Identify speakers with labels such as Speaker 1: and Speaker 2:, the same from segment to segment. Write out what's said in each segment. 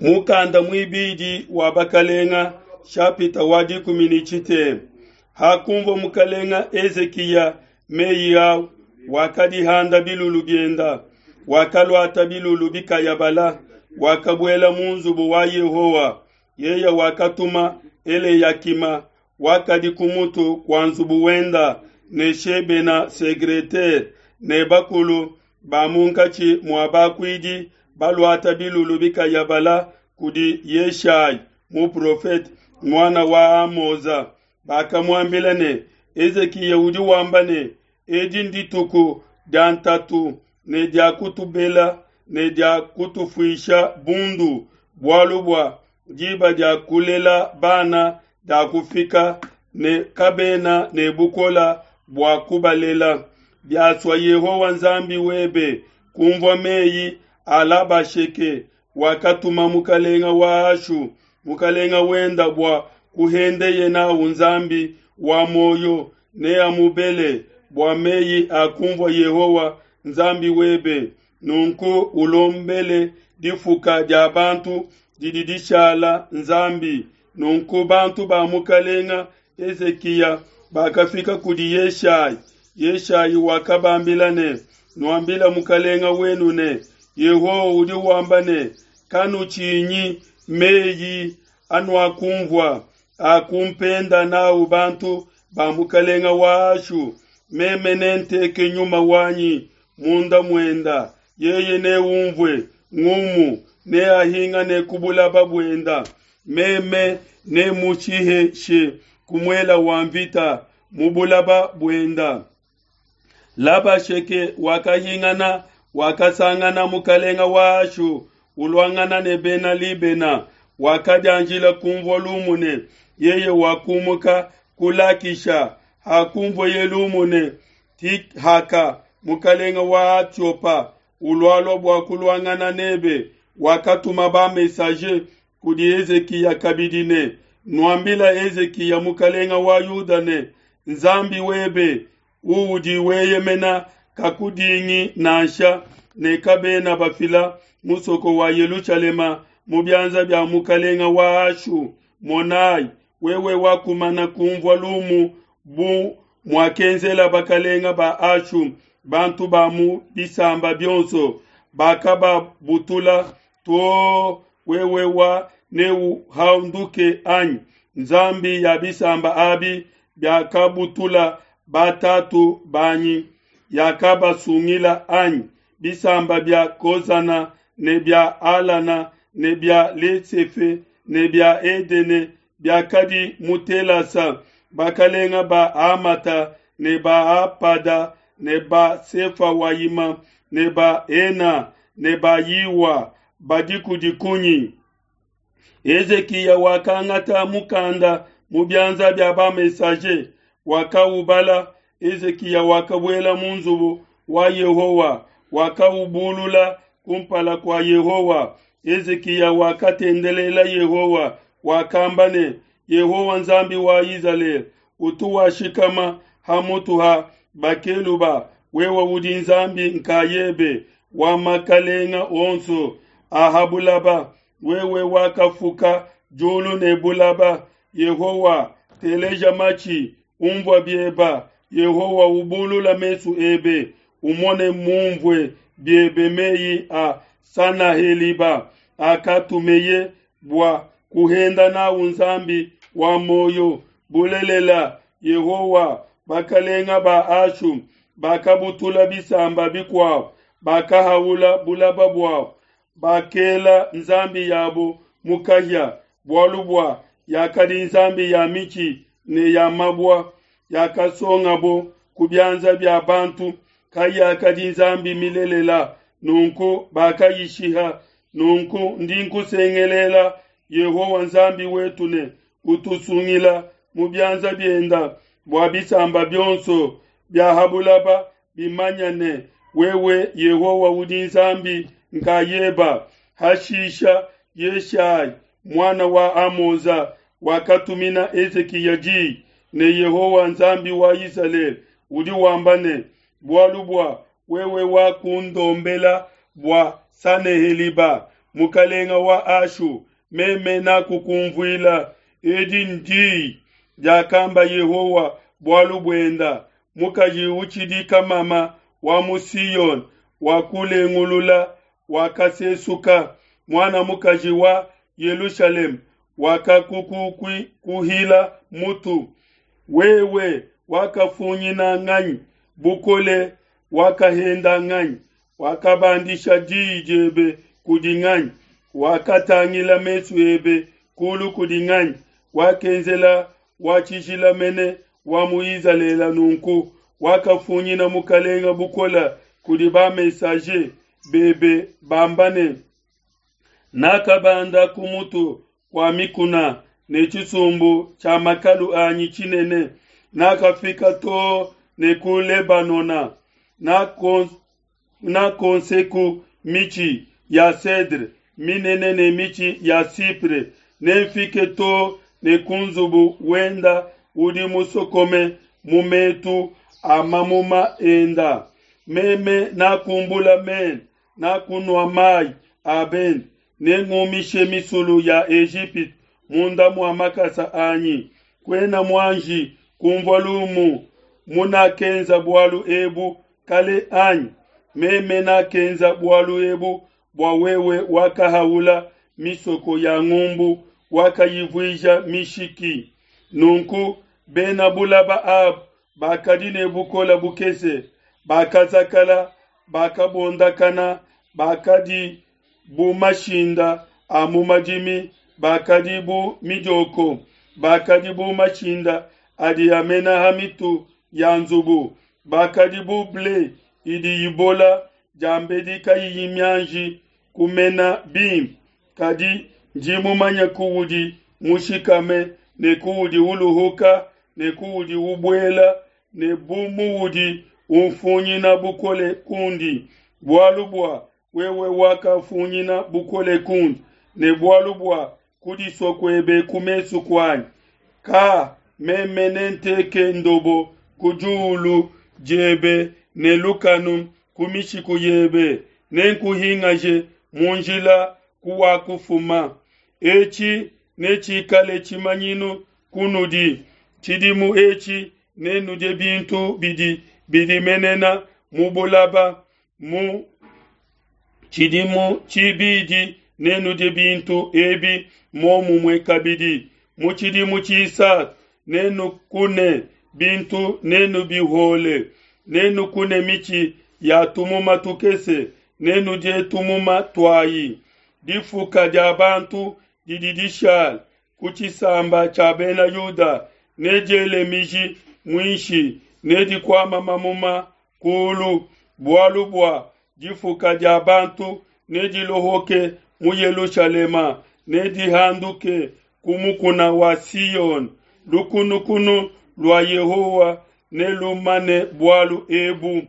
Speaker 1: Mukanda muibidi wa Bakalenga, shapita wa 13. Hakunvua mukalenga Hezikiya meyi au, wakadihanda bilulu bienda, wakaluata bilulu bikayabala, wakabuela mu nzubu wa Yehowa. Yeye wakatuma Eleyakima, wakadi ku mutu kua nzubu wenda, ne Shebena secretaire, ne bakulu ba munkatshi mua bakuidi baluata bilulu bikayabala kudi Yeshayi muprofete, muana wa Amoza. Bakamuambila ne, Hezikiya udi wamba ne, Edi ndituku dia ntatu ne dia kutubela ne dia kutufuisha bundu, bualu bua diba dia kulela bana diakufika ne kabena ne bukole bua kubalela. Biasua Yehowa Nzambi webe kumvua meyi a Labasheke wakatuma mukalenga wa Ashu, mukalenga wenda bua kuhendeye nawu Nzambi wa muoyo, neamubele bua meyi akumvua Yehowa Nzambi webe. Nunku ulombele difuka dia bantu didi dishala Nzambi. Nunku bantu ba mukalenga Hezikiya bakafika kudi Yeshayi. Yeshayi wakabambila ne, Nuambila mukalenga wenu ne, Yehowa udi wamba ne, Kanutshinyi meyi anuakumvua akumpenda nawu bantu ba mukalenga wa Ashu. Meme nenteke nyuma wanyi munda muenda, yeye neumvue ngumu, neahingane ku bulaba buenda. Meme nemushiheshe ku muela wa mvita mu bulaba buenda. Labasheke wakahingana, wakasangana mukalenga wa Ashu uluangana ne Bena Libena. Wakadianjila kumvua lumu ne, yeye wakumuka ku Lakisha. Hakumvueye lumu ne, Tihaka mukalenga wa Atiopa ulualua bua kuluangana nebe, wakatuma ba-messager kudi Hezikiya kabidi ne, Nuambila Hezikiya mukalenga wa Yuda ne, Nzambi webe uudi weyemena kakudingi nansha, ne kabena bafila musoko wa Yelushalema mu bianza bia mukalenga wa Ashu. Monai, wewe wakumana kumvua lumu bu muakenzela bakalenga ba Ashu bantu ba mu bisamba bionso, bakababutula too. Wewe wa neuhanduke anyi? Nzambi ya bisamba abi biakabutula batatu banyi yakabasungila anyi? Bisamba bia Kozana ne bia Alana ne bia Lesefe ne bia Edene biakadi mu Telasa, bakalenga ba Hamata ne ba Apada ne ba Sefawayima ne ba Hena ne ba Yiwa badi kudi kunyi? Hezikiya wakangata mukanda mu bianza bia ba-messager, wakaubala. Hezikiya wakabuela mu nzubu wa Yehowa, wakaubulula kumpala kua Yehowa. Hezikiya wakatendelela Yehowa, wakamba ne, Yehowa Nzambi wa Izalele, utu washikama ha mutu ha bakeluba, wewe udi Nzambi nkayebe wa makalenga onso a ha bulaba, wewe wakafuka diulu ne bulaba. Yehowa, teleja matshi, umvua bieba. Yehowa, ubulula mesu ebe, umone mumvue biebe meyi a Sanaheliba akatumeye bua kuhenda nawu Nzambi wa muoyo. Bulelela, Yehowa, bakalenga ba Ashu bakabutula bisamba bikuabo, bakahaula bulaba buabo, bakela nzambi yabo mu kahia, bualu bua yakadi nzambi ya mitshi ne ya mabua, yakasongabo ku bianza bia bantu, kayakadi nzambi milelela, nunku bakayishiha. Nunku ndi nkusengelela, Yehowa Nzambi wetu, ne utusungila mu bianza bienda, bua bisamba bionso bia ha bulaba bimanya ne, wewe Yehowa udi Nzambi nkayeba. Hashisha Yeshayi muana wa Amoza wakatumina Hezikiya di ne, Yehowa Nzambi wa Isalele udi wamba ne, bualu bua wewe wakundombela bua Saneheliba. mukalenga wa Ashu, meme nakukumvuila. Edi ndiyi diakamba Yehowa bualu buenda: Mukaji utshidi kamama wa mu Siyone wakulengulula, wakasesuka. Muana mukaji wa Yelushalema wakakukuhila mutu. Wewe wakafunyina nganyi bukole, wakahenda nganyi? Wakabandisha diyi diebe kudi nganyi? Wakatangila mesu ebe kulu kudi nganyi? Wakenzela wa tshijila mene wa mu Izalele nunku, wakafunyina mukalenga bukole kudi ba-messager bebe bamba ne, Nakabanda ku mutu kua mikuna ne tshisumbu tshia makalu anyi tshinene, nakafika too ne ku Lebanona, nakonseku mitshi ya cedre minene ne mitshi ya cypre, nemfike too ne ku nzubu wenda udi musokome mu metu a mamuma enda. Meme nakumbula mene, nakunua mayi a bende, nengumishe misulu ya Ejipitu munda mua makasa anyi. Kuena muanji kumvua lumu munakenza bualu ebu kale anyi? Meme nakenza bualu ebu bua wewe wakahaula misoko ya ngumbu, wakayivuija mishiki. Nunku bena bulaba abu bakadi ne bukole bukese, bakazakala, bakabondakana, bakadi bu mashinda a mu madimi, bakadi bu midioko, bakadi bu mashinda adi amena ha mitu ya nzubu, bakadi bu ble idi ibola diambedi kayiyi mianji kumena bimpe. Kadi ndi mumanye kuudi mushikame ne kuudi uluhuka ne kuudi ubuela ne bu muudi unfunyina bukole kundi, bualu bua wewe wakafunyina bukole kundi, ne bualu bua kudisua kuebe ku mesu kuanyi. Ka meme nenteke ndobo ku diulu diebe ne lukanu ku mishiku yebe, nenkuhingaje mu njila kuwakufuma. Etshi netshikale tshimanyinu kunudi, tshidimu etshi nenudie bintu bidi bidimenena mu bulaba, mu tshidimu tshibidi nenudie bintu ebi muomumue kabidi, mu tshidimu tshisatu nenukune bintu nenubihole, nenukune mitshi ya tumuma tukese, nenudie tumuma tuayi. Difuka dia bantu didi dishala ku tshisamba tshia bena Yuda nediele miji muinshi, nedikuama mamuma kulu, bualu bua difuka dia bantu nedilohoke mu Yelushalema, nedihanduke ku mukuna wa Siyone. Lukunukunu lua Yehowa nelumane bualu ebu.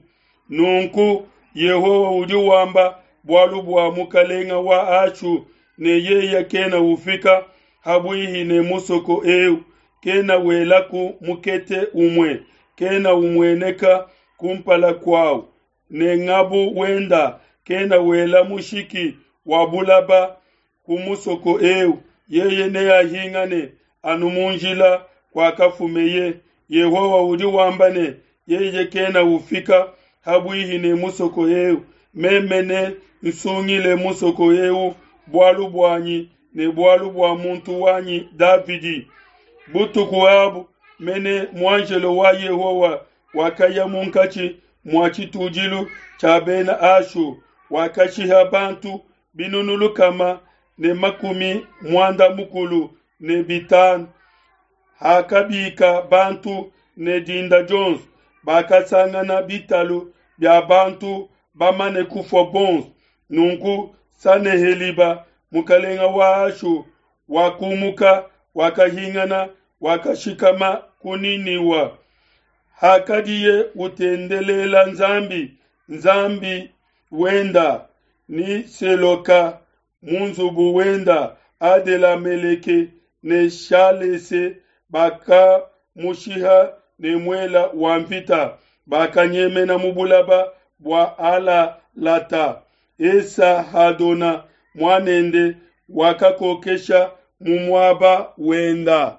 Speaker 1: Nunku Yehowa udi wamba bualu bua mukalenga wa Ashu ne yeye kena ufika habuihi ne musoko eu, kena welaku mukete umue, kena umueneka kumpala kuawu, ne ngabu wenda kena wela mushiki wa bulaba ku musoko eu, yeye neahingane anu mu njila kuakafumeye. Yehowa udi wamba ne, yeye kena ufika habuihi ne musoko eu, meme ne nsungile musoko eu bualu buanyi ne bualu bua muntu wanyi Davidi. Butuku abu mene muanjelo wa Yehowa wakaya munkatshi mua tshitudilu tshia bena Ashu, wakashiha bantu binunu 385. Hakabika bantu ne dinda dionso, bakasangana bitalu bia bantu bamane kufua bonso. Nunku Saneheliba mukalenga wa Ashu wakumuka, wakahingana, wakashikama ku Niniwa. Hakadiye utendelela Nzambi, Nzambi wenda ni Seloka mu nzubu wenda, Adelameleke ne Shalese bakamushiha ne muela wa mvita, bakanyemena mu bulaba bua Alalata. Esa-hadona muanende, wakakokesha mu muaba wenda.